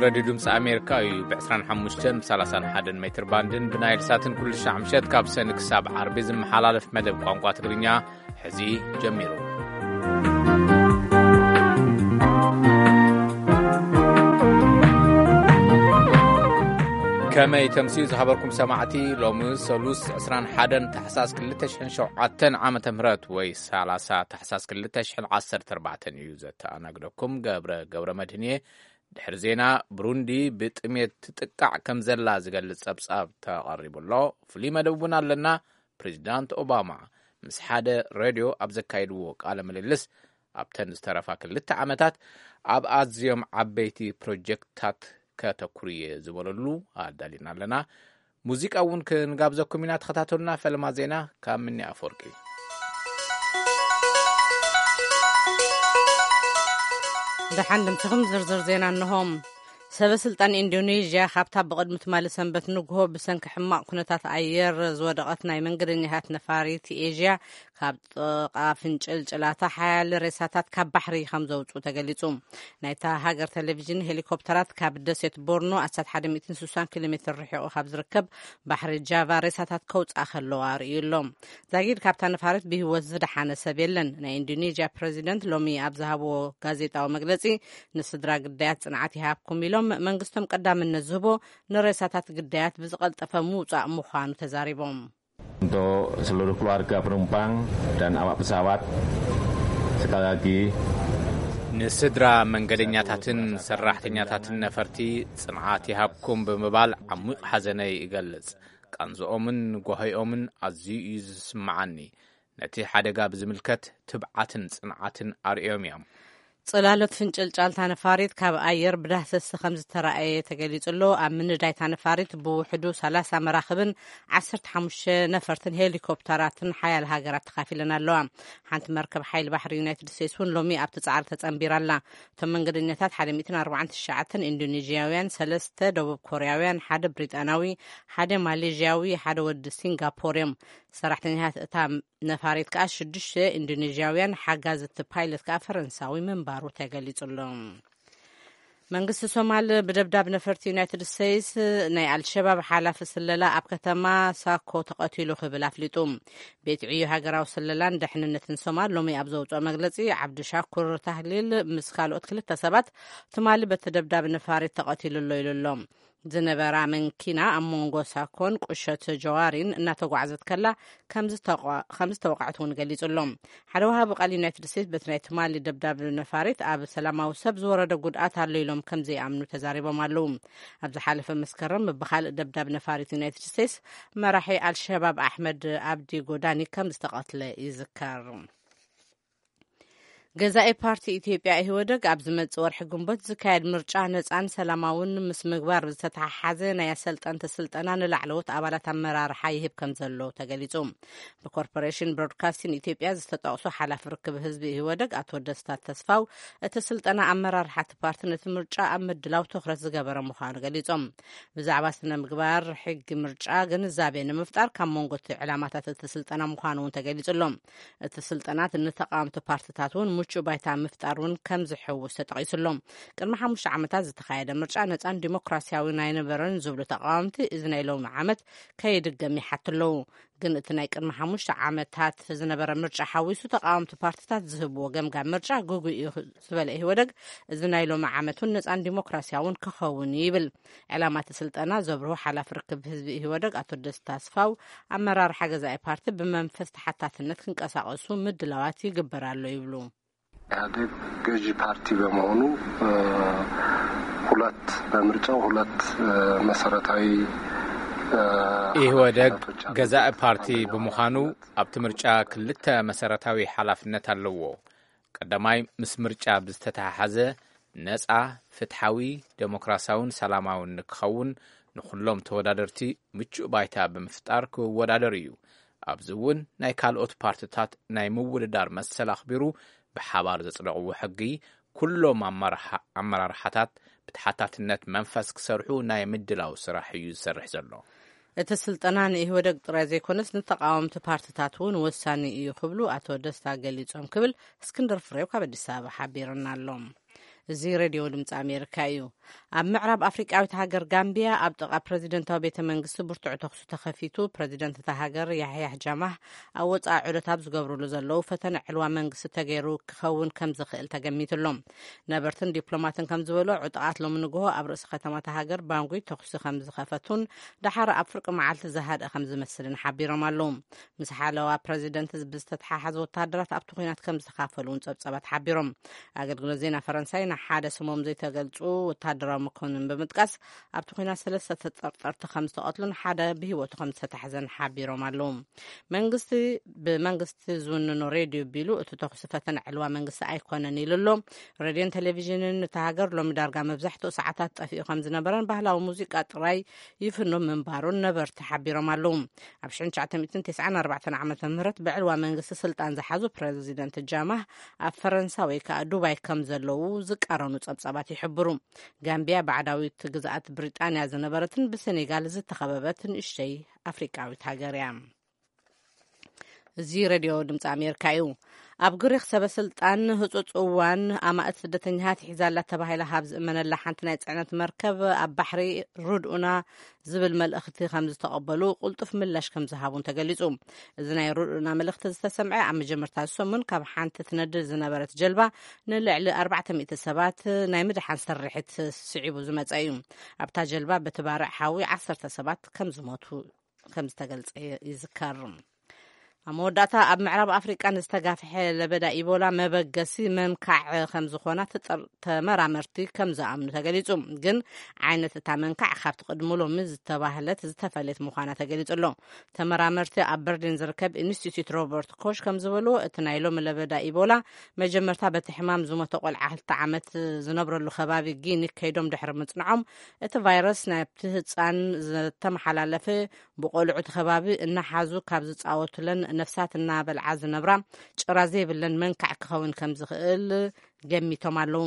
ሬድዮ ድምፂ ኣሜሪካ እዩ። ብ ዕስራን ሓሙሽተን ብ ሰላሳን ሓደን ሜትር ባንድን ብናይል ሳትን ኩሉ ሻዕ ምሸት ካብ ሰኒ ክሳብ ዓርቢ ዝመሓላለፍ መደብ ቋንቋ ትግርኛ ሕዚ ጀሚሩ። ከመይ ተምስዩ ዝሃበርኩም ሰማዕቲ፣ ሎሚ ሰሉስ ዕስራን ሓደን ታሕሳስ ክልተ ሽሕን ሸውዓተን ዓመተ ምህረት ወይ ሰላሳ ታሕሳስ ክልተ ሽሕን ዓሰርተ ኣርባዕተን እዩ። ዘተኣናግደኩም ገብረ ገብረ መድህን እየ። ድሕሪ ዜና፣ ብሩንዲ ብጥሜት ትጥቃዕ ከም ዘላ ዝገልጽ ጸብጻብ ተቐሪቡ ኣሎ። ፍሉይ መደብ እውን ኣለና። ፕሬዚዳንት ኦባማ ምስ ሓደ ሬድዮ ኣብ ዘካየድዎ ቃለ ምልልስ፣ ኣብተን ዝተረፋ ክልተ ዓመታት ኣብ ኣዝዮም ዓበይቲ ፕሮጀክትታት ከተኩርየ ዝበለሉ ኣዳሊና ኣለና። ሙዚቃ እውን ክንጋብዘኩም ኢና። ተኸታተሉና። ፈለማ ዜና ካብ ምኒ ኣፈወርቂ። ደሓን ድምስኹም ዝርዝር ዜና እንሆ። ሰበ ስልጣን ኢንዶኔዥያ ካብታ ብቕድሚ ትማሊ ሰንበት ንግሆ ብሰንኪ ሕማቕ ኩነታት ኣየር ዝወደቐት ናይ መንገደኛታት ነፋሪት ኤዥያ ካብ ጥቓ ፍንጭልጭላታ ሓያለ ሬሳታት ካብ ባሕሪ ከም ዘውፅኡ ተገሊፁ። ናይታ ሃገር ቴሌቪዥን፣ ሄሊኮፕተራት ካብ ደሴት ቦርኖ ኣስታት ሓደ ሚእትን ስሳን ኪሎ ሜትር ርሒቑ ካብ ዝርከብ ባሕሪ ጃቫ ሬሳታት ከውፅኣ ከለዋ ኣርእዩ ኣሎ። ዛጊድ ካብታ ነፋሪት ብህይወት ዝደሓነ ሰብ የለን። ናይ ኢንዶኔዥያ ፕሬዚደንት ሎሚ ኣብ ዝሃብዎ ጋዜጣዊ መግለፂ፣ ንስድራ ግዳያት ጽንዓት ይሃብኩም ኢሎም፣ መንግስቶም ቀዳምነት ዝህቦ ንሬሳታት ግዳያት ብዝቐልጠፈ ምውጻእ ምዃኑ ተዛሪቦም። Untuk seluruh keluarga penumpang dan awak pesawat, sekali lagi, ንስድራ መንገደኛታትን ሰራሕተኛታትን ነፈርቲ ጽንዓት ይሃብኩም ብምባል ዓሚቕ ሓዘነይ እገልጽ። ቃንዝኦምን ጓሂኦምን ኣዝዩ እዩ ዝስምዓኒ። ነቲ ሓደጋ ብዝምልከት ትብዓትን ጽንዓትን ኣርእዮም እዮም። ጽላሎት ፍንጭልጫልታ ነፋሪት ካብ ኣየር ብዳህሰስ ከም ዝተራእየ ተገሊጹ ኣሎ። ኣብ ምንዳይታ ነፋሪት ብውሕዱ ሰላሳ መራኽብን ዓሰርተ ሓሙሽተ ነፈርትን ሄሊኮፕተራትን ሓያል ሃገራት ተኻፊለን ኣለዋ። ሓንቲ መርከብ ሓይሊ ባሕሪ ዩናይትድ ስቴትስ እውን ሎሚ ኣብቲ ጻዕሪ ተጸንቢራ ኣላ። እቶም መንገደኛታት ሓደ ሚእትን ኣርባዓን ትሽዓተን ኢንዶኔዥያውያን፣ ሰለስተ ደቡብ ኮርያውያን፣ ሓደ ብሪጣናዊ፣ ሓደ ማሌዥያዊ፣ ሓደ ወዲ ሲንጋፖር እዮም። ሰራሕተኛታት እታ ነፋሪት ከኣ ሽዱሽተ ኢንዶኔዥያውያን፣ ሓጋዚ እቲ ፓይለት ከኣ ፈረንሳዊ ምንባሩ ተገሊጹ ኣሎ። መንግስቲ ሶማል ብደብዳብ ነፈርቲ ዩናይትድ ስቴትስ ናይ ኣልሸባብ ሓላፊ ስለላ ኣብ ከተማ ሳኮ ተቐቲሉ ክብል ኣፍሊጡ። ቤት ዕዮ ሃገራዊ ስለላን ድሕንነትን ሶማል ሎሚ ኣብ ዘውፅኦ መግለፂ፣ ዓብዲ ሻኩር ታህሊል ምስ ካልኦት ክልተ ሰባት ትማሊ በቲ ደብዳብ ነፋሪት ተቐቲሉ ኣሎ ኢሉ ኣሎ። ዝነበራ መንኪና ኣብ መንጎ ሳኮን ቁሸት ጀዋሪን እናተጓዕዘት ከላ ከም ዝተቋ-፣ ከም ዝተወቕዐት እውን ገሊጹ ኣሎ። ሓደ ወሃቢ ቃል ዩናይትድ ስቴትስ በቲ ናይ ትማሊ ደብዳብ ነፋሪት ኣብ ሰላማዊ ሰብ ዝወረደ ጉድኣት ኣሎ ኢሎም ከም ዘይኣምኑ ተዛሪቦም ኣለዉ። ኣብ ዝሓለፈ መስከረም ብኻልእ ደብዳብ ነፋሪት ዩናይትድ ስቴትስ መራሒ ኣልሸባብ ኣሕመድ ኣብዲ ጎዳኒ ከም ዝተቐትለ ይዝከር። ገዛኢ ፓርቲ ኢትዮጵያ ኢህወደግ ኣብ ዝመጽእ ወርሒ ግንቦት ዝካየድ ምርጫ ነጻን ሰላማውን ምስ ምግባር ዝተተሓሓዘ ናይ ኣሰልጠንቲ ስልጠና ንላዕለዎት ኣባላት ኣመራርሓ ይህብ ከም ዘሎ ተገሊጹ። ብኮርፖሬሽን ብሮድካስቲን ኢትዮጵያ ዝተጠቕሱ ሓላፊ ርክብ ህዝቢ ኢህወደግ ኣቶ ደስታ ተስፋው፣ እቲ ስልጠና ኣመራርሓ እቲ ፓርቲ ነቲ ምርጫ ኣብ ምድላው ትኹረት ዝገበረ ምዃኑ ገሊጾም። ብዛዕባ ስነ ምግባር ሕጊ ምርጫ ግንዛቤ ንምፍጣር ካብ መንጎ እቲ ዕላማታት እቲ ስልጠና ምዃኑ እውን ተገሊጹ ኣሎ። እቲ ስልጠና ንተቓወምቲ ፓርትታት እውን ምቹእ ባይታ ምፍጣር እውን ከም ዝሕውስ ተጠቒሱ ኣሎ። ቅድሚ ሓሙሽተ ዓመታት ዝተኻየደ ምርጫ ነጻን ዲሞክራሲያዊን ኣይነበረን ዝብሉ ተቓወምቲ፣ እዚ ናይ ሎሚ ዓመት ከይድገም ይሓቱ ኣለዉ። ግን እቲ ናይ ቅድሚ ሓሙሽተ ዓመታት ዝነበረ ምርጫ ሓዊሱ ተቓወምቲ ፓርትታት ዝህብዎ ገምጋም ምርጫ ግጉይ እዩ ዝበለ ኢህወደግ፣ እዚ ናይ ሎሚ ዓመት እውን ነጻን ዲሞክራሲያውን ክኸውን ይብል። ዕላማ እቲ ስልጠና ዘብርሁ ሓላፊ ርክብ ህዝቢ ኢህወደግ ኣቶ ደስታ ኣስፋው፣ ኣመራርሓ ገዛኢ ፓርቲ ብመንፈስ ተሓታትነት ክንቀሳቐሱ ምድላዋት ይግበር ኣሎ ይብሉ። ኢህአዴግ ገዢ ፓርቲ በመሆኑ፣ እ፣ ሁለት፣ በምርጫው ሁለት፣ እ፣ መሰረታዊ፣ እ፣ ኢህወደግ ሓላፍነቶች አሉበት። ገዛኢ ፓርቲ ብምዃኑ ኣብቲ ምርጫ ክልተ መሰረታዊ ሓላፍነት ኣለዎ። ቀዳማይ፣ ምስ ምርጫ ብዝተተሓሓዘ ነጻ፣ ፍትሓዊ፣ ዴሞክራሲያውን ሰላማውን ንክኸውን ንኹሎም ተወዳደርቲ ምቹእ ባይታ ብምፍጣር ክወዳደሩ እዩ። ኣብዚ እውን ናይ ካልኦት ፓርትታት ናይ ምውድዳር መሰል ኣኽቢሩ ብሓባር ዘጽደቕዎ ሕጊ ኩሎም ኣመራርሓ-፣ ኣመራርሓታት ብተሓታትነት መንፈስ ክሰርሑ ናይ ምድላው ስራሕ እዩ ዝሰርሕ ዘሎ። እቲ ስልጠና ንኢህወደግ ጥራይ ዘይኮነስ ንተቓወምቲ ፓርትታት እውን ወሳኒ እዩ ክብሉ ኣቶ ደስታ ገሊጾም ክብል እስክንድር ፍሬው ካብ ኣዲስ ኣበባ ሓቢርና ኣሎ። እዚ ሬድዮ ድምፂ ኣሜሪካ እዩ። ኣብ ምዕራብ ኣፍሪቃዊት ሃገር ጋምቢያ ኣብ ጥቓ ፕረዚደንታዊ ቤተ መንግስቲ ብርቱዕ ተኹሲ ተኸፊቱ፣ ፕረዚደንት እታ ሃገር ያሕያሕ ጃማህ ኣብ ወፃኢ ዑደት ኣብ ዝገብርሉ ዘለዉ ፈተነ ዕልዋ መንግስቲ ተገይሩ ክኸውን ከም ዝኽእል ተገሚትሎም። ነበርትን ዲፕሎማትን ከም ዝበሎ፣ ዕጡቓት ሎሚ ንግሆ ኣብ ርእሲ ከተማ እታ ሃገር ባንጉይ ተኹሲ ከም ዝኸፈቱን ደሓር ኣብ ፍርቂ መዓልቲ ዝሃድአ ከም ዝመስልን ሓቢሮም ኣለዉ። ምስ ሓለዋ ፕረዚደንት ብዝተተሓሓዘ ወታደራት ኣብቲ ኲናት ከም ዝተኻፈሉ እውን ጸብጻባት ሓቢሮም። ኣገልግሎት ዜና ፈረንሳይ ንሓደ ስሞም ዘይተገልጹ ወታደራዊ መኮንን ብምጥቃስ፣ ኣብቲ ኲናት ሰለስተ ተጠርጠርቲ ከም ዝተቐትሉን ሓደ ብህይወቱ ከም ዝተታሕዘን ሓቢሮም ኣለዉ። መንግስቲ ብመንግስቲ ዝውንኖ ሬድዮ ቢሉ፣ እቲ ተኹሲ ፈተነ ዕልዋ መንግስቲ ኣይኮነን ኢሉ ኣሎ። ሬድዮን ቴሌቪዥንን እታ ሃገር ሎሚ ዳርጋ መብዛሕትኡ ሰዓታት ጠፊኡ ከም ዝነበረን ባህላዊ ሙዚቃ ጥራይ ይፍኖ ምንባሩን ነበርቲ ሓቢሮም ኣለዉ። ኣብ ሽሕን ትሽዓተ ሚእትን ተስዓን ኣርባዕተን ዓመተ ምህረት ብዕልዋ መንግስቲ ስልጣን ዝሓዙ ፕረዚደንት ጃማህ ኣብ ፈረንሳ ወይ ከዓ ዱባይ ከም ዘለዉ ዝቃረኑ ጸብጻባት ይሕብሩ። ጋምቢያ ባዕዳዊት ግዝኣት ብሪጣንያ ዝነበረትን ብሴኔጋል ዝተኸበበት ንእሽተይ ኣፍሪቃዊት ሃገር እያ። እዚ ሬድዮ ድምፂ ኣሜሪካ እዩ። ኣብ ግሪክ ሰበ ስልጣን ህፁፅ እዋን ኣማእት ስደተኛታት ሒዛላ ተባሂላ ካብ ዝእመነላ ሓንቲ ናይ ፅዕነት መርከብ ኣብ ባሕሪ ርድኡና ዝብል መልእኽቲ ከም ዝተቐበሉ ቅልጡፍ ምላሽ ከም ዝሃቡን ተገሊፁ። እዚ ናይ ርድኡና መልእኽቲ ዝተሰምዐ ኣብ መጀመርታ ሰሙን ካብ ሓንቲ ትነድር ዝነበረት ጀልባ ንልዕሊ ኣርባዕተ ሚእቲ ሰባት ናይ ምድሓን ስርሒት ስዒቡ ዝመፀ እዩ። ኣብታ ጀልባ በቲ ባርዕ ሓዊ ዓሰርተ ሰባት ከም ዝሞቱ ከም ዝተገልጸ ይዝከር። ኣብ መወዳእታ ኣብ ምዕራብ ኣፍሪቃ ንዝተጋፍሐ ለበዳ ኢቦላ መበገሲ መንካዕ ከም ዝኾና ተጠር-፣ ተመራመርቲ ከም ዝኣምኑ ተገሊጹ። ግን ዓይነት እታ መንካዕ ካብቲ ቅድሚ ሎሚ ዝተባህለት ዝተፈለየት ምዃና ተገሊጹ ኣሎ። ተመራመርቲ ኣብ በርሊን ዝርከብ ኢንስቲትዩት ሮበርት ኮሽ ከም ዝበልዎ፣ እቲ ናይ ሎሚ ለበዳ ኢቦላ መጀመርታ በቲ ሕማም ዝሞተ ቆልዓ ክልተ ዓመት ዝነብረሉ ከባቢ ጊኒ ከይዶም ድሕሪ ምጽንዖም፣ እቲ ቫይረስ ናብቲ ህጻን ዝተመሓላለፈ ብቆልዑ እቲ ከባቢ እናሓዙ ካብ ዝጻወቱለን ነፍሳት እናበልዓ ዝነብራ ጭራ ዘይብለን መንካዕ ክኸውን ከም ዝኽእል ገሚቶም ኣለዉ።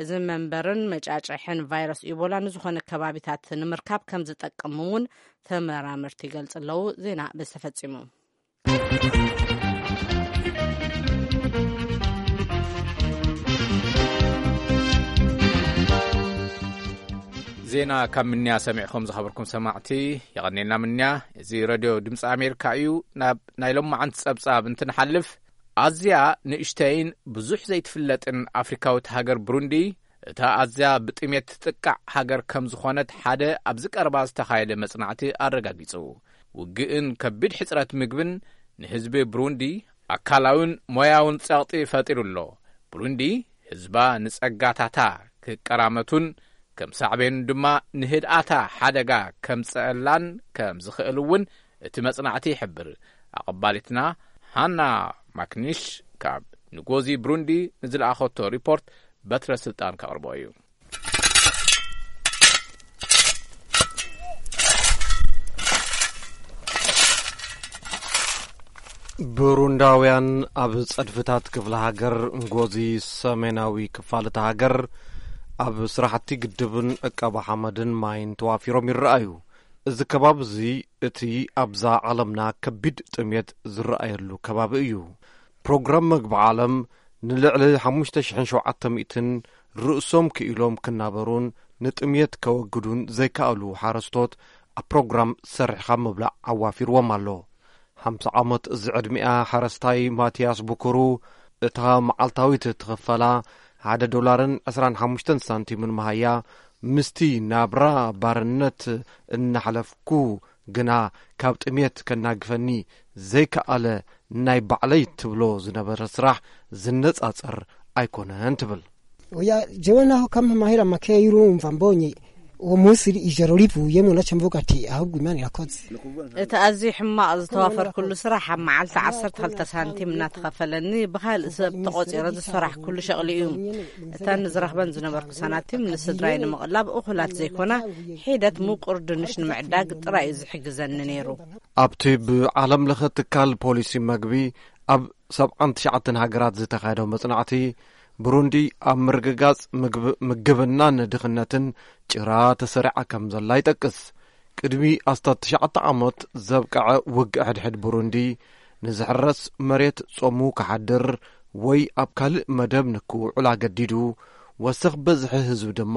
እዚ መንበርን መጫጭሕን ቫይረስ ኢቦላ ንዝኾነ ከባቢታት ንምርካብ ከም ዝጠቅም እውን ተመራመርቲ ይገልጹ ኣለዉ። ዜና በዚ ተፈጺሙ። ዜና ካብ ምንያ ሰሚዕኹም ዝኸበርኩም ሰማዕቲ፣ የቐኔልና ምንያ። እዚ ረድዮ ድምፂ ኣሜሪካ እዩ። ናብ ናይ ሎማዓንቲ ጸብጻብ እንትንሓልፍ፣ ኣዝያ ንእሽተይን ብዙሕ ዘይትፍለጥን ኣፍሪካዊት ሃገር ብሩንዲ፣ እታ ኣዝያ ብጥሜት ትጥቃዕ ሃገር ከም ዝኾነት ሓደ ኣብዚ ቀረባ ዝተኻየደ መጽናዕቲ ኣረጋጊጹ። ውግእን ከቢድ ሕጽረት ምግብን ንህዝቢ ብሩንዲ ኣካላውን ሞያውን ጸቕጢ ፈጢሩ ኣሎ። ብሩንዲ ህዝባ ንጸጋታታ ክቀራመቱን ከም ሳዕቤኑ ድማ ንህድኣታ ሓደጋ ከምጸአላን ከም ዝኽእል እውን እቲ መጽናዕቲ ይሕብር። ኣቐባሊትና ሃና ማክኒሽ ካብ ንጎዚ ብሩንዲ ንዝለኣኸቶ ሪፖርት በትረ ስልጣን ከቕርቦ እዩ። ብሩንዳውያን ኣብ ጸድፍታት ክፍለ ሃገር ንጎዚ ሰሜናዊ ክፋል እታ ሃገር ኣብ ስራሕቲ ግድብን ዕቀባ ሓመድን ማይን ተዋፊሮም ይረኣዩ። እዚ ከባቢ እዚ እቲ ኣብዛ ዓለምና ከቢድ ጥሜት ዝረኣየሉ ከባቢ እዩ። ፕሮግራም መግቢ ዓለም ንልዕሊ ሓሙሽተ ሽሕን ሸውዓተ ሚእትን ርእሶም ክኢሎም ክናበሩን ንጥሜት ከወግዱን ዘይከኣሉ ሓረስቶት ኣብ ፕሮግራም ሰሪሕኻ ምብላዕ ኣዋፊርዎም ኣሎ። ሓምሳ ዓመት ዝዕድሚኣ ሓረስታይ ማትያስ ብኩሩ፣ እታ መዓልታዊት ትኽፈላ ሓደ ዶላርን ዕስራን ሓሙሽተን ሳንቲምን መሃያ፣ ምስቲ ናብራ ባርነት እናሕለፍኩ ግና ካብ ጥሜት ከናግፈኒ ዘይከኣለ ናይ ባዕለይ ትብሎ ዝነበረ ስራሕ ዝነጻጸር ኣይኮነን ትብል። Oya, jewe naho kampa amahera makeya y'urumva mbonye uwo munsi ijoro rivuye, mu nacyo mvuga ati, "Ahubwo Imana irakoze." እቲ ኣዝዩ ሕማቕ ዝተዋፈርኩሉ ስራሕ ኣብ መዓልቲ ዓሰርተ ክልተ ሳንቲም እናተኸፈለኒ ብኻልእ ሰብ ተቖፂረ ዝሰራሕኩሉ ሸቕሊ እዩ። እተን ዝረኽበን ዝነበርኩ ሳናቲም ንስድራይ ንምቕላብ እኹላት ዘይኮና፣ ሒደት ምቁር ድንሽ ንምዕዳግ ጥራይ እዩ ዝሕግዘኒ ነይሩ። ኣብቲ ብዓለም ለኸ ትካል ፖሊሲ መግቢ ኣብ ሰብዓን ትሽዓተን ሃገራት ዝተኻየደ መጽናዕቲ፣ ብሩንዲ ኣብ ምርግጋጽ ምግብ-፣ ምግብናን ድኽነትን ጭራ ተሰሪዓ ከም ዘላ ይጠቅስ። ቅድሚ ኣስታት ትሽዓተ ዓመት ዘብቅዐ ውግእ ሕድሕድ ብሩንዲ፣ ንዝሕረስ መሬት ጾሙ ክሓድር ወይ ኣብ ካልእ መደብ ንክውዕል ኣገዲዱ፣ ወሰኽ በዝሒ ህዝቢ ድማ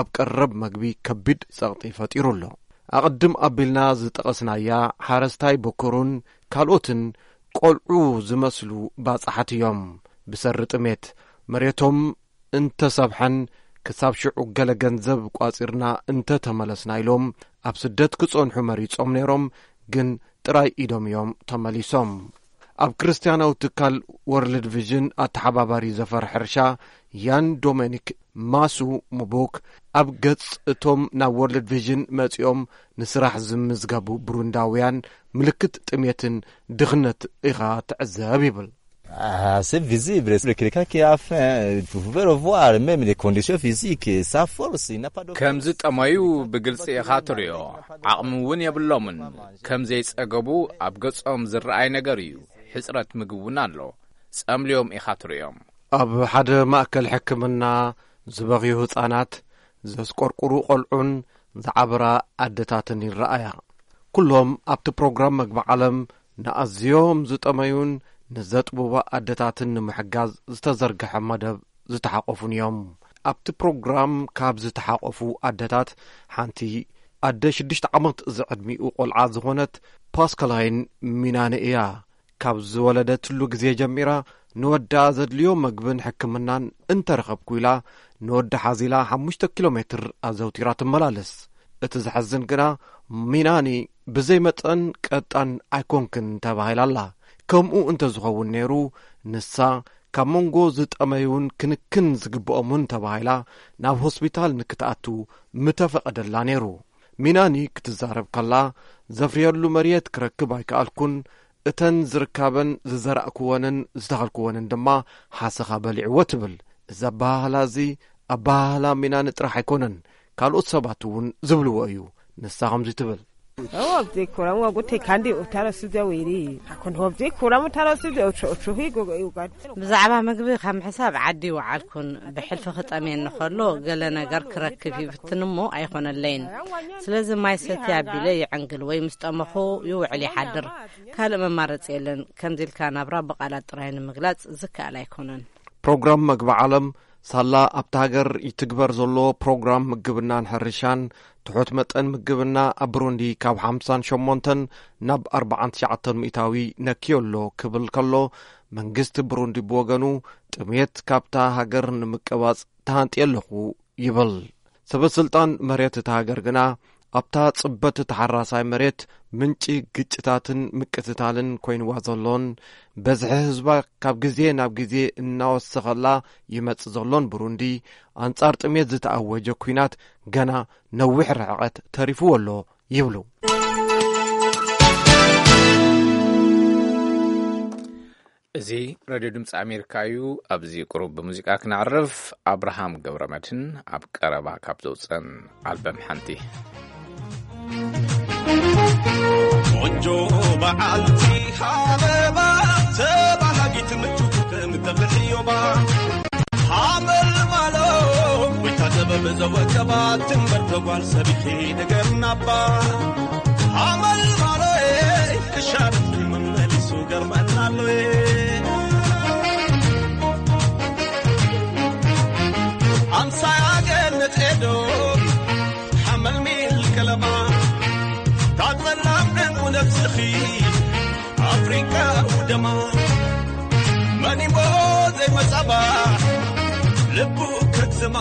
ኣብ ቀረብ መግቢ ከቢድ ጸቕጢ ፈጢሩ ኣሎ። ኣቕድም ኣቢልና ዝጠቐስናያ ሓረስታይ በኮሩን ካልኦትን ቆልዑ ዝመስሉ ባጽሓት እዮም። ብሰሪ ጥሜት መሬቶም እንተሰብሐን ክሳብ ሽዑ ገለ ገንዘብ ቋጺርና እንተተመለስና ኢሎም ኣብ ስደት ክጸንሑ መሪጾም ነይሮም፣ ግን ጥራይ ኢዶም እዮም ተመሊሶም። ኣብ ክርስትያናዊ ትካል ወርልድ ቪዥን ኣተሓባባሪ ዘፈር ሕርሻ ያን ዶሜኒክ ማሱ ሙቡክ ኣብ ገጽ እቶም ናብ ወርልድ ቪዥን መጺኦም ንስራሕ ዝምዝገቡ ብሩንዳውያን ምልክት ጥሜትን ድኽነት ኢኻ ትዕዘብ ይብል። Ah, c'est visible, c'est quelqu'un qui a faim, vous pouvez le voir, même les conditions physiques, sa force, il n'a pas de ከም ዝጠመዩ ብግልጺ ኢኻ ትሪኦ። ዓቕሚ እውን የብሎምን። ከም ዘይጸገቡ ኣብ ገጾም ዝረኣይ ነገር እዩ። ሕጽረት ምግቢ እውን ኣሎ። ጸምልዮም ኢኻ ትሪኦም። ኣብ ሓደ ማእከል ሕክምና ዝበኽዩ ህጻናት፣ ዘስቆርቁሩ ቆልዑን ዝዓበራ ኣደታትን ይረኣያ። ኩሎም ኣብቲ ፕሮግራም መግቢ ዓለም ንኣዝዮም ዝጠመዩን ንዘጥብባ ኣደታትን ንምሕጋዝ ዝተዘርግሐ መደብ ዝተሓቆፉን እዮም። ኣብቲ ፕሮግራም ካብ ዝተሓቆፉ ኣደታት ሓንቲ ኣደ ሽዱሽተ ዓመት ዝዕድሚኡ ቆልዓ ዝኾነት ፓስካላይን ሚናኒ እያ። ካብ ዝወለደትሉ ግዜ ጀሚራ ንወዳ ዘድልዮ መግብን ሕክምናን እንተረኸብኩ ኢላ ንወዳ ሓዚላ ሓሙሽተ ኪሎ ሜትር ኣዘውቲራ ትመላለስ። እቲ ዘሕዝን ግና ሚናኒ ብዘይ መጠን ቀጣን ኣይኮንክን ተባሂላ ኣላ። ከምኡ እንተዝኸውን ነይሩ ንሳ ካብ መንጎ ዝጠመዩን ክንክን ዝግብኦምን ተባሂላ ናብ ሆስፒታል ንክትኣቱ ምተፈቐደላ ነይሩ። ሚናኒ ክትዛረብ ከላ ዘፍርየሉ መሬት ክረክብ ኣይከኣልኩን፣ እተን ዝርካበን ዝዘራእክወንን ዝተኸልክወንን ድማ ሓሰኻ በሊዕዎ ትብል። እዚ ኣበሃህላ እዚ ኣበሃህላ ሚናኒ ጥራሕ ኣይኮነን፣ ካልኦት ሰባት እውን ዝብልዎ እዩ። ንሳ ከምዚ ትብል። Obze kuramu wagute kandi utarasize wiri. Akon obze kuramu utarasize ocho ocho higo yugat. ብዛዕባ ምግቢ ካብ ምሕሳብ ዓዲ ይወዓልኩን ብሕልፊ ክጠምየኒ ከሎ ገለ ነገር ክረክብ ይፍትን እሞ ኣይኾነለይን። ስለዚ ማይ ሰትየ ኣቢለ ይዕንግል ወይ ምስ ጠመኹ ይውዕል ይሓድር። ካልእ መማረፂ የለን። ከምዚ ኢልካ ናብራ ብቓላት ጥራይ ንምግላፅ ዝከኣል ኣይኮነን። ፕሮግራም መግቢ ዓለም ሳላ ኣብታ ሃገር ይትግበር ዘሎ ፕሮግራም ምግብናን ሕርሻን ትሑት መጠን ምግብና ኣብ ብሩንዲ ካብ ሓምሳን ሸሞንተን ናብ ኣርባዓን ትሽዓተን ሚእታዊ ነክዮ ኣሎ ክብል ከሎ፣ መንግስቲ ብሩንዲ ብወገኑ ጥሜት ካብታ ሃገር ንምቅባጽ ተሃንጥየ ኣለኹ ይብል። ሰበ ስልጣን መሬት እታ ሃገር ግና ኣብታ ጽበት ተሓራሳይ መሬት ምንጪ ግጭታትን ምቅትታልን ኮይንዋ ዘሎን በዝሒ ህዝባ ካብ ግዜ ናብ ግዜ እናወሰኸላ ይመጽእ ዘሎን ብሩንዲ፣ ኣንጻር ጥሜት ዝተኣወጀ ኲናት ገና ነዊሕ ርሕቀት ተሪፍዎ ኣሎ ይብሉ። እዚ ሬድዮ ድምፂ ኣሜሪካ እዩ። ኣብዚ ቁሩብ ብሙዚቃ ክነዕርፍ። ኣብርሃም ገብረመድህን ኣብ ቀረባ ካብ ዘውፅአን ኣልበም ሓንቲ። ቆንጆ በዓልቲ ሃበባ፣ ተባሃጊት ምቹ ከም ተፍሕዮባ፣ ሃመልማሎ፣ ጎይታ ጥበብ ዘወቀባ፣ ትንበር ተጓል ሰቢኺ ንገርናባ። ሃመልማሎ፣ ክሻርት መመሊሱ ገርመናሎ። ኣምሳያ ገነት ኤዶ፣ ሓመልሚል ከለማ፣ ታጸላም ዕንቁ ነፍስኺ፣ ኣፍሪቃ ውደማ። መን እሞ ዘይመጻባ፣ ልቡ ከትስማ።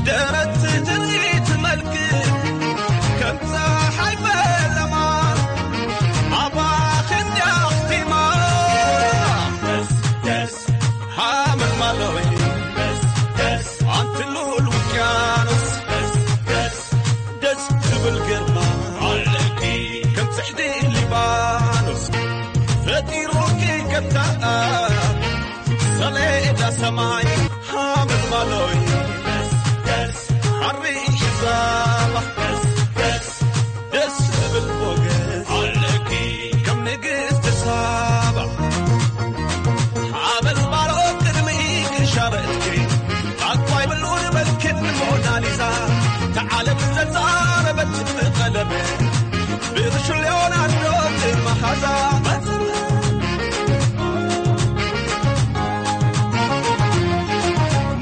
ደረት ትርኢት መልክ ከም ፀሓይ ፈለማ፣ ኣባኺ እንዲያ ኣኽቲማ። ደስ ደስ ሃመልማሎይ፣ ደስ ደስ ኣንቲ ልኡል ውቅያኖስ፣ ደስ ደስ ደስ ትብል ግርማ ኣለኪ ከም ጽሕዲ ሊባኖስ፣ ፈጢሩኪ ከም ዳኣ ሰሌዳ ሰማይ። ሃመልማሎይ፣ ደስ ደስ ሓሪ ዛባ፣ ደስ ደስ ደስ ትብል ሞገስ ኣለኪ ከም ንግስቲ ሳባ። ሓበል ባሮ ቅድሚ ክሻረትኪ፣ ኣኳይ ብሉን መልክን ሞናሊዛ፣ ተዓለም ዘዛረበት ብቐለመ ሌኦናርዶ መሃዛ መጽለል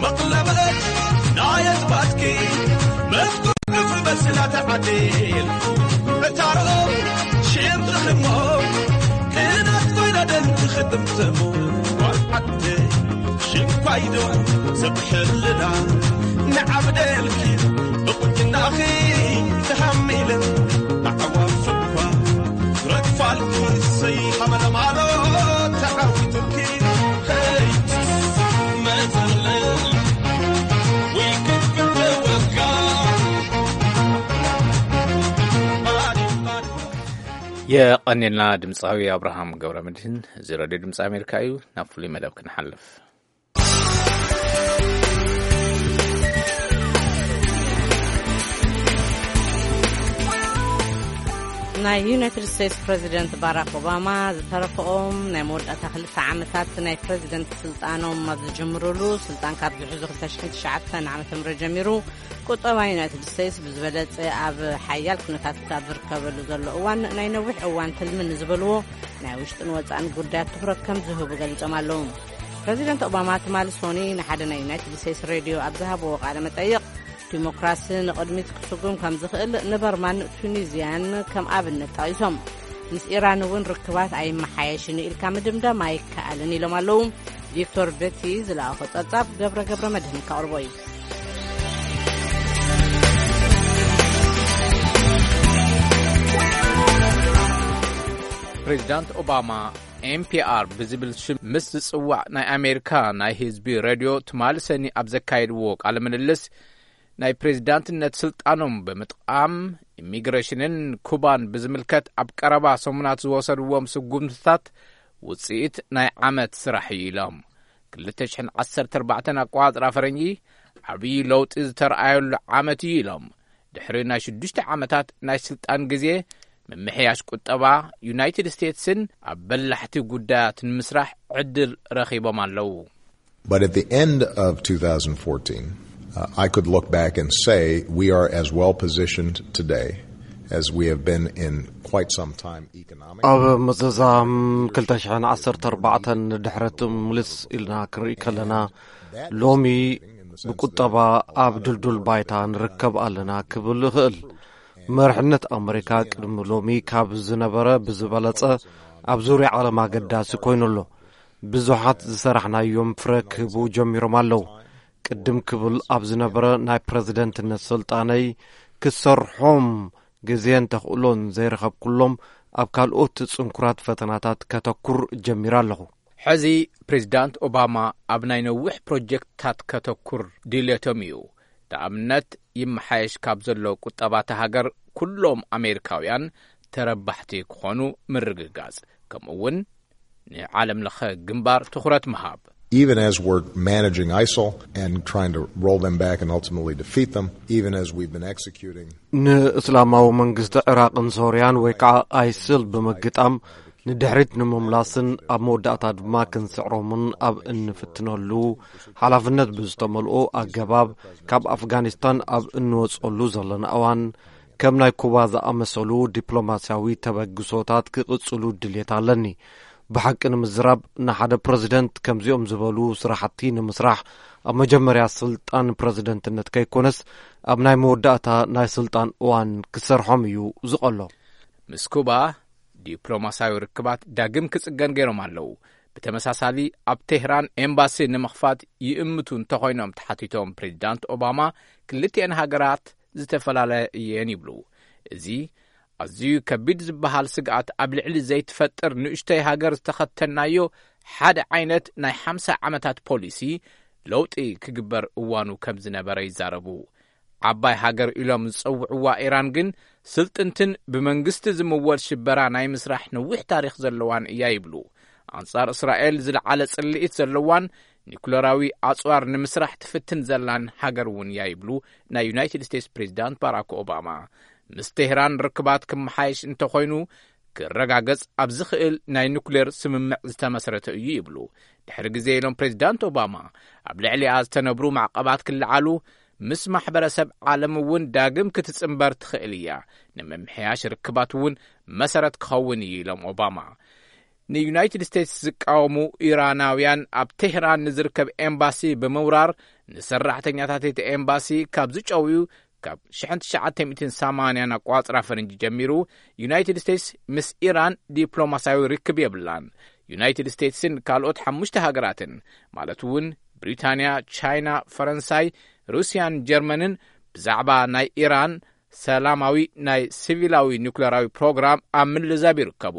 መቕለበት ናይ ኣዝማድኪ መፍትሑ በስላ ተዓዲል እታሮ ሽም ትኽሞ ክናት ኮይና ደም ትኽድም ትሙ ጓል ዓዲ ሽንኳይዶ ሰብ ሕልና ንዓብደልኪ ብቁንጅናኺ ተሃሚለ ኣዕዋፍ እኳ ረግፋልኪ ሰይ ሓመለማሎ ተዓዊቱልኪ ሄይ መዘለል ወይ ክፍል ተወጋ የቐኔልና ድምፃዊ ኣብርሃም ገብረ መድህን። እዚ ሬድዮ ድምፂ ኣሜሪካ እዩ። ናብ ፍሉይ መደብ ክንሓልፍ። ናይ ዩናይትድ ስቴትስ ፕሬዚደንት ባራክ ኦባማ ዝተረፈኦም ናይ መወዳእታ ክልተ ዓመታት ናይ ፕሬዚደንት ስልጣኖም ኣብ ዝጅምሩሉ፣ ስልጣን ካብ ዝሕዙ ክልተ ሽሕን ትሽዓተን ዓመተ ምህረት ጀሚሩ፣ ቁጠባ ዩናይትድ ስቴትስ ብዝበለጸ ኣብ ሓያል ኩነታት ኣብ ዝርከበሉ ዘሎ እዋን፣ ናይ ነዊሕ እዋን ትልሚ ንዝበልዎ ናይ ውሽጥን ወጻእን ጉዳያት ትኹረት ከም ዝህቡ ገሊጾም ኣለዉ። ፕሬዚደንት ኦባማ ትማሊ ሶኒ ንሓደ ናይ ዩናይትድ ስቴትስ ሬድዮ ኣብ ዝሃብዎ ቃለ መጠይቕ፣ ዲሞክራሲ ንቕድሚት ክስጉም ከም ዝኽእል ንበርማን ቱኒዝያን ከም ኣብነት ጠቒሶም፣ ምስ ኢራን እውን ርክባት ኣይመሓየሽን ኢልካ ምድምዳም ኣይከኣልን ኢሎም ኣለዉ። ቪክቶር በቲ ዝለኣኾ ጸብጻብ ገብረ ገብረ መድህን ከቕርቦ እዩ። ፕሬዚዳንት ኦባማ ኤንፒኣር ብዝብል ሽም ምስ ዝጽዋዕ ናይ ኣሜሪካ ናይ ህዝቢ ሬድዮ ትማሊ ሰኒ ኣብ ዘካየድዎ ቃለ ምልልስ፣ ናይ ፕሬዚዳንትነት ስልጣኖም ብምጥቃም፣ ኢሚግሬሽንን ኩባን ብዝምልከት ኣብ ቀረባ ሰሙናት ዝወሰድዎም ስጉምትታት ውጽኢት ናይ ዓመት ስራሕ እዩ ኢሎም። ክልተ ሽሕን ዓሰርተ ኣርባዕተን ኣቆጻጽራ ፈረንጂ ዓብዪ ለውጢ ዝተረኣየሉ ዓመት እዩ ኢሎም። ድሕሪ ናይ ሽዱሽተ ዓመታት ናይ ስልጣን ግዜ፣ ምምሕያሽ ቁጠባ ዩናይትድ ስቴትስን ኣብ በላሕቲ ጉዳያት ንምስራሕ ዕድል ረኺቦም ኣለዉ። But at the end of two thousand fourteen, uh, I could look back and say we are as well positioned today as we have been in quite some time economically. ኣብ መዘዛም ክልተ ሽሕን ዓሰርተ ኣርባዕተን ንድሕረት ምልስ ኢልና ክንርኢ ከለና፣ ሎሚ ብቁጠባ ኣብ ድልዱል ባይታ ንርከብ ኣለና ክብል እኽእል። መርሕነት ኣመሪካ ቅድሚ ሎሚ ካብ ዝነበረ ብዝበለጸ ኣብ ዙርያ ዓለም ኣገዳሲ ኮይኑ ኣሎ። ብዙሓት ዝሰራሕናዮም ፍረ ክህቡ ጀሚሮም ኣለዉ። ቅድም ክብል ኣብ ዝነበረ ናይ ፕረዚደንትነት ስልጣነይ ክሰርሖም ግዜን ተኽእሎን ዘይረኸብኩሎም ኣብ ካልኦት ጽንኩራት ፈተናታት ከተኩር ጀሚረ ኣለኹ። ሕዚ ፕሬዚዳንት ኦባማ ኣብ ናይ ነዊሕ ፕሮጀክትታት ከተኩር ድልየቶም እዩ። ንኣብነት፣ ይመሓየሽ ካብ ዘሎ ቁጠባ እታ ሃገር ኩሎም ኣሜሪካውያን ተረባሕቲ ክኾኑ ምርግጋጽ፣ ከምኡ እውን ንዓለም ለኸ ግንባር ትኹረት ምሃብ። Even as we're managing ISIL and trying to roll them back and ultimately defeat them, even as we've been executing ንእስላማዊ መንግስቲ ዕራቕን ሶርያን ወይ ከዓ ኣይስል ብምግጣም ንድሕሪት ንምምላስን ኣብ መወዳእታ ድማ ክንስዕሮምን ኣብ እንፍትነሉ፣ ሓላፍነት ብዝተመልኦ ኣገባብ ካብ ኣፍጋኒስታን ኣብ እንወጸሉ ዘለና እዋን፣ ከም ናይ ኩባ ዝኣመሰሉ ዲፕሎማስያዊ ተበግሶታት ክቕጽሉ ድልየት ኣለኒ። ብሓቂ ንምዝራብ፣ ንሓደ ፕረዚደንት ከምዚኦም ዝበሉ ስራሕቲ ንምስራሕ ኣብ መጀመርያ ስልጣን ፕረዚደንትነት ከይኮነስ ኣብ ናይ መወዳእታ ናይ ስልጣን እዋን ክሰርሖም እዩ ዝቐሎ። ምስ ኩባ ዲፕሎማስያዊ ርክባት ዳግም ክጽገን ገይሮም ኣለዉ። ብተመሳሳሊ ኣብ ቴህራን ኤምባሲ ንምኽፋት ይእምቱ እንተኾይኖም ተሓቲቶም ፕሬዚዳንት ኦባማ፣ ክልቲኤን ሃገራት ዝተፈላለያ እየን ይብሉ። እዚ ኣዝዩ ከቢድ ዝበሃል ስግኣት ኣብ ልዕሊ ዘይትፈጥር ንእሽተይ ሃገር ዝተኸተልናዮ ሓደ ዓይነት ናይ ሓምሳ ዓመታት ፖሊሲ ለውጢ ክግበር እዋኑ ከም ዝነበረ ይዛረቡ። ዓባይ ሃገር ኢሎም ዝጸውዕዋ ኢራን ግን ስልጥንትን ብመንግስቲ ዝምወል ሽበራ ናይ ምስራሕ ነዊሕ ታሪኽ ዘለዋን እያ ይብሉ። ኣንጻር እስራኤል ዝለዓለ ጽልኢት ዘለዋን ኒኩለራዊ ኣጽዋር ንምስራሕ ትፍትን ዘላን ሃገር እውን እያ ይብሉ ናይ ዩናይትድ ስቴትስ ፕሬዚዳንት ባራክ ኦባማ። ምስ ቴህራን ርክባት ክመሓየሽ እንተኾይኑ ክረጋገጽ ኣብ ዝኽእል ናይ ኑክሌር ስምምዕ ዝተመስረተ እዩ ይብሉ። ድሕሪ ግዜ ኢሎም ፕሬዚዳንት ኦባማ፣ ኣብ ልዕሊኣ ዝተነብሩ ማዕቐባት ክለዓሉ፣ ምስ ማሕበረሰብ ዓለም እውን ዳግም ክትጽንበር ትኽእል እያ። ንምምሕያሽ ርክባት እውን መሰረት ክኸውን እዩ ኢሎም ኦባማ። ንዩናይትድ ስቴትስ ዝቃወሙ ኢራናውያን ኣብ ቴህራን ንዝርከብ ኤምባሲ ብምውራር ንሰራሕተኛታት እቲ ኤምባሲ ካብ ዝጨውዩ ካብ ሽሕን ትሽዓተ ሚእትን ሰማንያን ኣቋጽራ ፈረንጂ ጀሚሩ ዩናይትድ ስቴትስ ምስ ኢራን ዲፕሎማስያዊ ርክብ የብላን። ዩናይትድ ስቴትስን ካልኦት ሓሙሽተ ሃገራትን ማለት እውን ብሪታንያ፣ ቻይና፣ ፈረንሳይ፣ ሩስያን ጀርመንን ብዛዕባ ናይ ኢራን ሰላማዊ ናይ ሲቪላዊ ኒኩለራዊ ፕሮግራም ኣብ ምልዛብ ይርከቡ።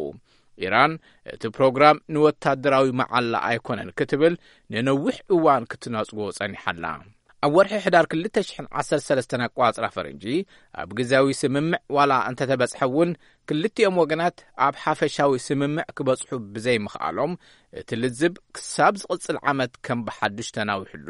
ኢራን እቲ ፕሮግራም ንወታደራዊ መዓላ ኣይኮነን ክትብል ንነዊሕ እዋን ክትነጽጎ ጸኒሓላ። ኣብ ወርሒ ሕዳር ክልተ ሽሕን ዓሰርተ ሰለስተን ኣቋጽራ ፈረንጂ ኣብ ግዜያዊ ስምምዕ ዋላ እንተተበጽሐ እውን ክልቲኦም ወገናት ኣብ ሓፈሻዊ ስምምዕ ክበጽሑ ብዘይምኽኣሎም እቲ ልዝብ ክሳብ ዝቕጽል ዓመት ከም ብሓድሽ ተናዊሑ ኣሎ።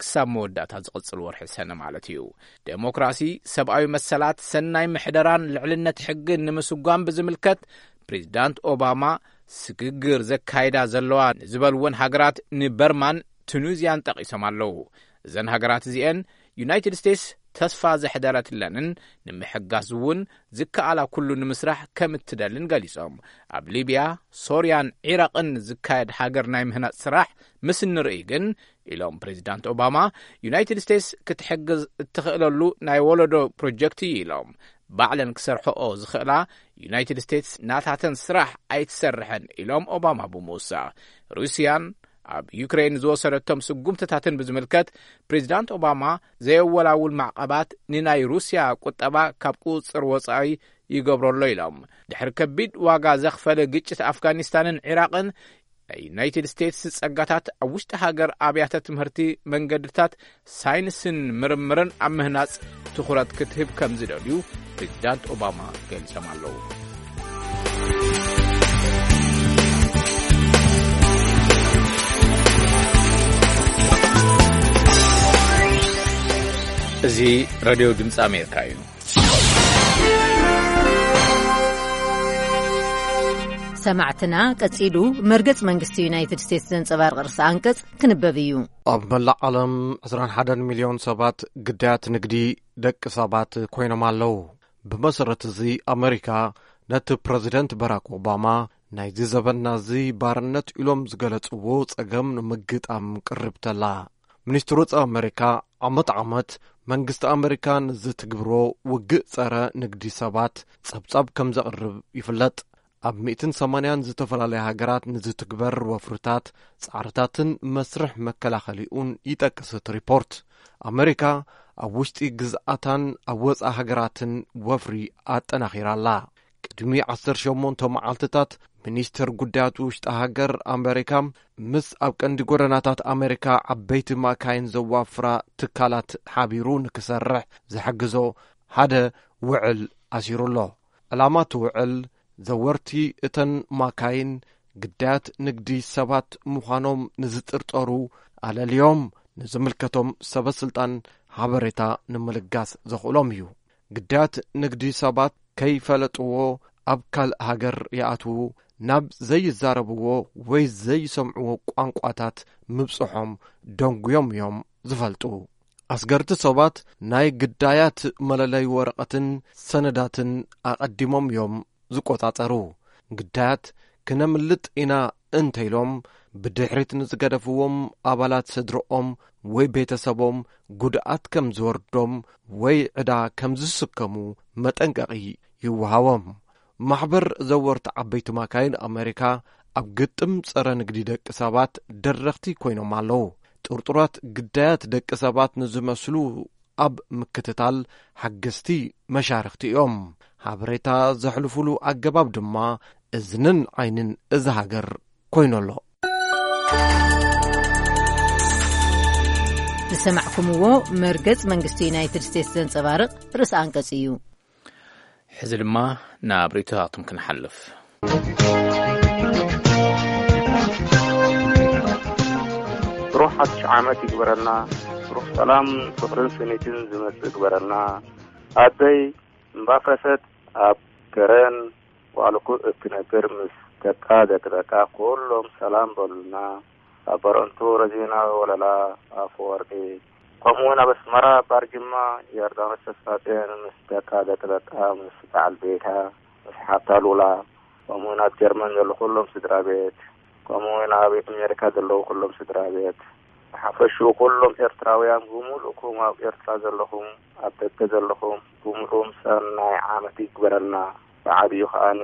ክሳብ መወዳእታ ዝቕጽል ወርሒ ሰነ ማለት እዩ። ዴሞክራሲ፣ ሰብኣዊ መሰላት፣ ሰናይ ምሕደራን ልዕልነት ሕግን ንምስጓም ብዝምልከት ፕሬዚዳንት ኦባማ ስግግር ዘካይዳ ዘለዋ ንዝበልወን ሃገራት ንበርማን ቱኒዝያን ጠቒሶም ኣለዉ። እዘን ሃገራት እዚኤን ዩናይትድ ስቴትስ ተስፋ ዘሕደረትለንን ንምሕጋዝ እውን ዝከኣላ ኩሉ ንምስራሕ ከም እትደልን ገሊጾም። ኣብ ሊብያ፣ ሶርያን ዒራቕን ዝካየድ ሃገር ናይ ምህናጽ ስራሕ ምስ እንርኢ ግን፣ ኢሎም ፕሬዚዳንት ኦባማ፣ ዩናይትድ ስቴትስ ክትሕግዝ እትኽእለሉ ናይ ወለዶ ፕሮጀክት እዩ ኢሎም። ባዕለን ክሰርሐኦ ዝኽእላ ዩናይትድ ስቴትስ ናታተን ስራሕ ኣይትሰርሐን ኢሎም ኦባማ ብምውሳኽ። ሩስያን ኣብ ዩክሬን ዝወሰደቶም ስጉምትታትን ብዝምልከት ፕሬዚዳንት ኦባማ ዘየወላውል ማዕቐባት ንናይ ሩስያ ቁጠባ ካብ ቁፅፅር ወፃኢ ይገብረሎ ኢሎም። ድሕሪ ከቢድ ዋጋ ዘኽፈለ ግጭት ኣፍጋኒስታንን ዒራቕን ናይ ዩናይትድ ስቴትስ ጸጋታት ኣብ ውሽጢ ሃገር ኣብያተ ትምህርቲ፣ መንገድታት፣ ሳይንስን ምርምርን ኣብ ምህናጽ ትኹረት ክትህብ ከም ዝደልዩ ፕሬዚዳንት ኦባማ ገሊጾም ኣለዉ። እዚ ሬድዮ ድምፂ ኣሜሪካ እዩ። ሰማዕትና፣ ቀጺሉ መርገጽ መንግስቲ ዩናይትድ ስቴትስ ዘንጸባርቕ ርእሰ ኣንቀጽ ክንበብ እዩ። ኣብ መላእ ዓለም ዕስራን ሓደን ሚልዮን ሰባት ግዳያት ንግዲ ደቂ ሰባት ኮይኖም ኣለዉ። ብመሰረት እዚ፣ ኣመሪካ ነቲ ፕረዚደንት ባራክ ኦባማ ናይዚ ዘበንና እዚ ባርነት ኢሎም ዝገለጽዎ ጸገም ንምግጣም ቅርብተላ። ሚኒስትር ወጻኢ ኣመሪካ ዓመት ዓመት መንግስቲ ኣመሪካ ንዝትግብሮ ውግእ ጸረ ንግዲ ሰባት ጸብጻብ ከም ዘቕርብ ይፍለጥ። ኣብ ሚእትን ሰማንያን ዝተፈላለያ ሃገራት ንዝትግበር ወፍርታት፣ ጻዕርታትን መስርሕ መከላኸሊኡን ይጠቅስ እቲ ሪፖርት። ኣመሪካ ኣብ ውሽጢ ግዝኣታን ኣብ ወጻኢ ሃገራትን ወፍሪ ኣጠናኺራ ኣላ። ቅድሚ ዓሰርተ ሸሞንተ መዓልትታት ሚኒስትር ጉዳያት ውሽጢ ሃገር ኣመሪካ ምስ ኣብ ቀንዲ ጎደናታት ኣመሪካ ዓበይቲ ማካይን ዘዋፍራ ትካላት ሓቢሩ ንክሰርሕ ዝሕግዞ ሓደ ውዕል ኣሲሩ ኣሎ። ዕላማ እቲ ውዕል፣ ዘወርቲ እተን ማካይን ግዳያት ንግዲ ሰባት ምዃኖም ንዝጥርጠሩ ኣለልዮም ንዝምልከቶም ሰበ ስልጣን ሓበሬታ ንምልጋስ ዘኽእሎም እዩ። ግዳያት ንግዲ ሰባት ከይፈለጥዎ ኣብ ካልእ ሃገር ይኣትዉ፣ ናብ ዘይዛረብዎ ወይ ዘይሰምዕዎ ቋንቋታት ምብጽሖም ደንጉዮም እዮም ዝፈልጡ። ኣስገርቲ ሰባት ናይ ግዳያት መለለይ ወረቐትን ሰነዳትን ኣቐዲሞም እዮም ዝቆጻጸሩ። ግዳያት ክነምልጥ ኢና እንተኢሎም፣ ብድሕሪት ንዝገደፍዎም ኣባላት ስድርኦም ወይ ቤተሰቦም ጉድኣት ከም ዝወርዶም ወይ ዕዳ ከም ዝስከሙ መጠንቀቒ ይወሃቦም። ማሕበር ዘወርቲ ዓበይቲ ማካይን ኣመሪካ ኣብ ግጥም ጸረ ንግዲ ደቂ ሰባት ደረኽቲ ኮይኖም ኣለዉ። ጥርጡራት ግዳያት ደቂ ሰባት ንዝመስሉ ኣብ ምክትታል ሓገዝቲ መሻርኽቲ እዮም። ሓበሬታ ዘሕልፉሉ ኣገባብ ድማ እዝንን ዓይንን እዛ ሃገር ኮይኑ ኣሎ። ዝሰማዕኩምዎ መርገጽ መንግስቲ ዩናይትድ ስቴትስ ዘንጸባርቕ ርእሰ ኣንቀጽ እዩ። ሕዚ ድማ ናብ ርእይቶታትኩም ክንሓልፍ። ብሩኽ ሓድሽ ዓመት ይግበረልና። ብሩኽ ሰላም፣ ፍቕርን ስኒትን ዝመጽእ ይግበረልና። ኣደይ እምባፈሰት ኣብ ከረን ዋዕልኩ እትነብር ምስ ደቃ ደቂ ደቃ ኩሎም ሰላም በሉልና። ኣብ በረንቱ ረዚና ወለላ ኣፈወርቂ ከምኡ እውን ኣብ ኣስመራ ባርጅማ ዮርዳኖስ ተስፋጽዮን ምስ ደቃ ደቂ ደቃ፣ ምስ በዓል ቤታ፣ ምስ ሓብታ ሉላ፣ ከምኡ እውን ኣብ ጀርመን ዘሎ ኩሎም ስድራ ቤት፣ ከምኡ እውን ኣብ ኣሜሪካ ዘለዉ ኩሎም ስድራ ቤት፣ ብሓፈሽኡ ኩሎም ኤርትራውያን ብምሉእኩም፣ ኣብ ኤርትራ ዘለኹም፣ ኣብ ደገ ዘለኹም ብምሉእም ሰናይ ዓመት ይግበረልና። ብዓብዩ ከኣኒ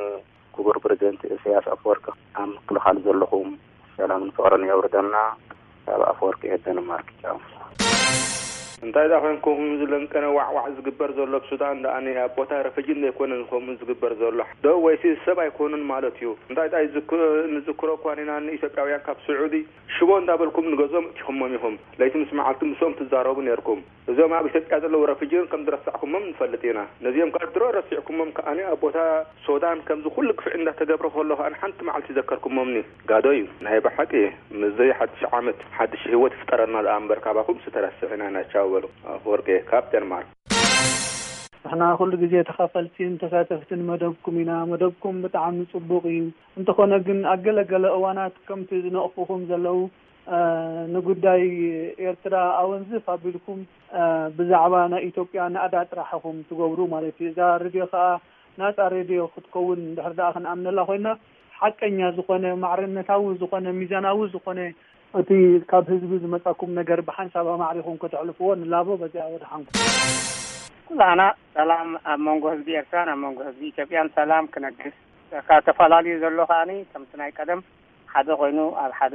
ክቡር ፕረዚደንት ኢሳያስ ኣፈወርቂ፣ ኣብ ምክልኻል ዘለኹም ሰላምን ፍቕርን የውርደልና። ካብ ኣፈወርቂ ኤደንማርክ። ቻው። እንታይ ደኣ ኮንኩም ዝለንቀነ ዋዕዋዕ ዝግበር ዘሎ ኣብ ሱዳን ደኣ? ኣብ ቦታ ረፈጂ ዘይኮነን ከምኡ ዝግበር ዘሎ ዶ? ወይሲ ሰብ ኣይኮኑን ማለት እዩ? እንታይ ደኣ ይዝክ-፣ ንዝክሮ እኳ ኢና ንኢትዮጵያውያን ካብ ስዑዲ ሽቦ እንዳበልኩም ንገዝኦም እቲኹሞም ኢኹም። ለይቲ ምስ መዓልቲ ምስኦም ትዛረቡ ነርኩም። እዞም ኣብ ኢትዮጵያ ዘለዉ ረፍጂን ከም ዝረሳዕኩሞም ንፈልጥ ኢና። ነዚኦም ካብ ድሮ ረሲዕኩሞም ከኣኒ ኣብ ቦታ ሶዳን ከምዚ ኩሉ ግፍዒ እንዳተገብረ ከሎ ከኣኒ ሓንቲ መዓልቲ ዘከርኩሞምኒ። ጋዶ እዩ። ናይ ብሓቂ ምስዚ ሓድሽ ዓመት ሓድሽ ህይወት ይፍጠረና ደኣ እምበር ካባኹም ዝተረስዕና ኢና። ቻው በሉ። ኣፈወርቂ ካብ ዴንማርክ። ንሕና ኩሉ ግዜ ተኻፈልቲን ተሳተፍትን መደብኩም ኢና። መደብኩም ብጣዕሚ ጽቡቕ እዩ። እንተኾነ ግን ኣብ ገለ ገለ እዋናት ከምቲ ዝነቕፉኹም ዘለዉ፣ እ፣ ንጉዳይ ኤርትራ ኣወንዝፍ ኣቢልኩም፣ እ፣ ብዛዕባ ናይ ኢትዮጵያ ናእዳ ጥራሕ ኢኹም ትገብሩ ማለት እዩ። እዛ ሬድዮ ከኣ ናጻ ሬድዮ ክትከውን እንድሕር ደኣ ክንኣምነላ ኮይና፣ ሓቀኛ ዝኾነ፣ ማዕርነታዊ ዝኾነ፣ ሚዛናዊ ዝኾነ፣ እቲ ካብ ህዝቢ ዝመጻኩም ነገር ብሓንሳብ ኣማዕሪኹም ከተሕልፍዎ ንላቦ። በዚኣ ወድሓንኩም። ኩላና ሰላም ኣብ መንጎ ህዝቢ ኤርትራን ኣብ መንጎ ህዝቢ ኢትዮጵያን ሰላም ክነግስ፣ ካብ ተፈላለዩ ዘሎ ከኣኒ ከምቲ ናይ ቀደም ሓደ ኮይኑ ኣብ ሓደ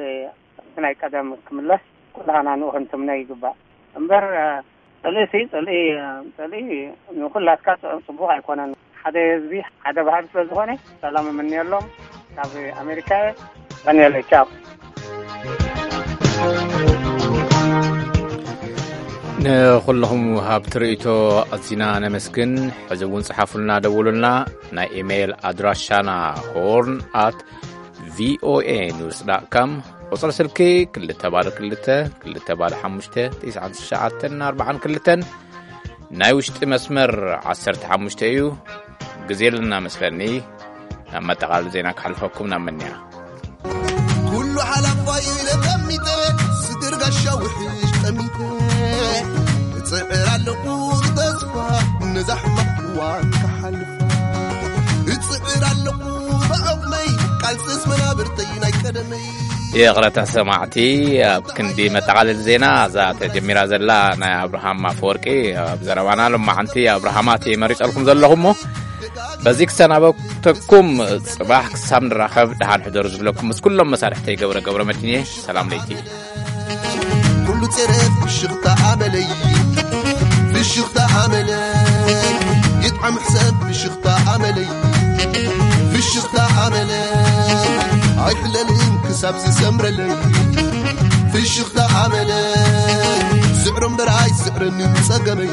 ከምቲ ናይ ቀደም ክምለስ ኩላና ንኡ ክንትምነ ይግባእ። እምበር፣ እ፣ ጽልኢ ሲ፣ ጽልኢ፣ እ፣ ጽልኢ ንኹላትካ ጽ-፣ ጽቡቕ ኣይኮነን። ሓደ ህዝቢ ሓደ ባህሊ ስለ ዝኾነ ሰላም እምንየሎም። ካብ ኣሜሪካ እየ። ቀንየለይ። ቻው። ንኹልኹም ሃብቲ ርእይቶ ኣዚና ነመስግን። ሕዚ እውን ጽሓፉልና፣ ደውሉልና። ናይ ኢሜይል ኣድራሻና ሆርን ኣት ቪኦኤ ኒውስ ዳት ካም፣ ቁጽሪ ስልኪ ክልተ ባዶ ክልተ፣ ክልተ ባዶ ሓሙሽተ፣ ትሽዓን ትሽዓተን ኣርባዓን ክልተን፣ ናይ ውሽጢ መስመር ዓሰርተ ሓሙሽተ እዩ። ግዜ ኣለና መስለኒ። ናብ መጠቓለሊ ዜና ክሓልፈኩም ናብ መንያ። ኩሉ ሓላፋይ ኢለ ጠሚተ፣ ስግር ጋሻ ውሕሽ ጠሚተ፣ እጽዕር ኣለኹ ብተስፋ ነዛ ሕማቕ እዋን ክሓልፋ። እጽዕር ኣለኹ ብዓቕመይ፣ ቃልስስ መናብርተይ ናይ ቀደመይ። ይቕረታ ሰማዕቲ፣ ኣብ ክንዲ መጠቓለሊ ዜና፣ እዛ ተጀሚራ ዘላ ናይ ኣብርሃም ኣፈወርቂ ኣብ ዘረባና ሎማዓንቲ ኣብርሃማት መሪጸልኩም ዘለኹ እሞ፣ በዚ ክሰናበተኩም፣ ጽባሕ ክሳብ ንራኸብ ደሓን ሕደሩ ዝብለኩም ምስ ኩሎም መሳርሕተይ ገብረ ገብረ መድህን እየ። ሰላም ለይቲ። ኩሉ ጸረ ፍሽኽታ ኣመለይ፣ ፍሽኽታ ኣመለይ፣ ይጥዓም ሕሰብ ፍሽኽታ ኣመለይ፣ ፍሽኽታ ኣመለይ፣ ኣይሕለልን ክሳብ ዝሰምረለይ፣ ፍሽኽታ ኣመለይ፣ ስዕሮ እምበር ኣይስዕረንን ጸገመይ፣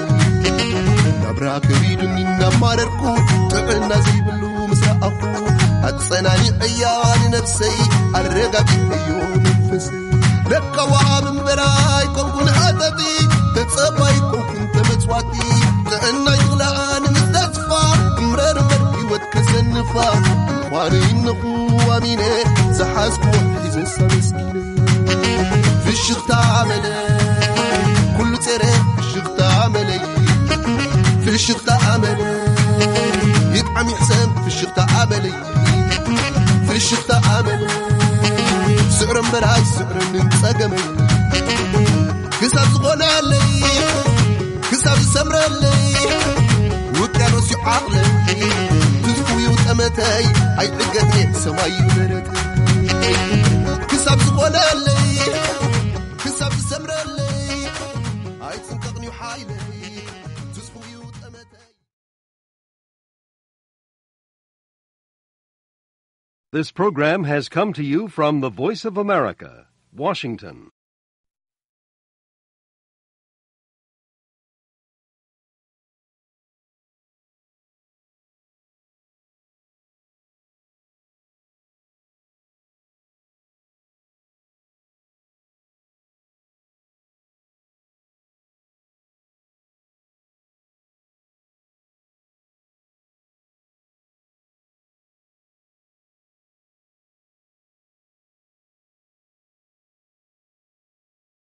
ናብራ ከቢዱኒ እናማረርኩ፣ ጥዕና ዘይብሉ ምስ ረኣኹ፣ ኣጸናኒዐያ ንነብሰይ፣ ኣረጋጊዐዮ መንፈሰይ። ለካ ወሃብ እምበር ኣይኮንኩን ሃተቲ፣ ተጸባይ ኣይኮንኩን ተመጽዋቲ። ጥዕናይ ዝኽልኣኒ ምስ ተስፋ፣ እምረር እምበር ህይወት ከሰንፋ። ምዃኑ ይነኹ ኣሚነ፣ ዝሓዝኩዎ ሒዘ ኣመስጊነ። ፍሽኽታ ኣመለይ፣ ኩሉ ጸረ ፍሽኽታ ኣመለይ፣ ፍሽኽታ ኣመለይ፣ ይጥዓም ይሕሰም ፍሽኽታ ኣመለይ፣ ፍሽኽታ ኣመለይ፣ ስዕሮ እምበር ኣይስዕረንን ጸገመይ፣ ክሳብ ዝኾነለይ፣ ክሳብ ዝሰምረለይ፣ ውቅያኖስ እዩ ዓቕለይ፣ ትዝፉ እዩ ጠመተይ፣ ኣይዕገትኔ ሰማይ እዩ ደረተይ። ክሳብ ዝኾነለይ፣ ክሳብ ዝሰምረለይ፣ ኣይጽንቀቕን እዩ ሓይለይ፣ ትዝፉ እዩ ጠመተይ። This program has come to you from the Voice of America, Washington.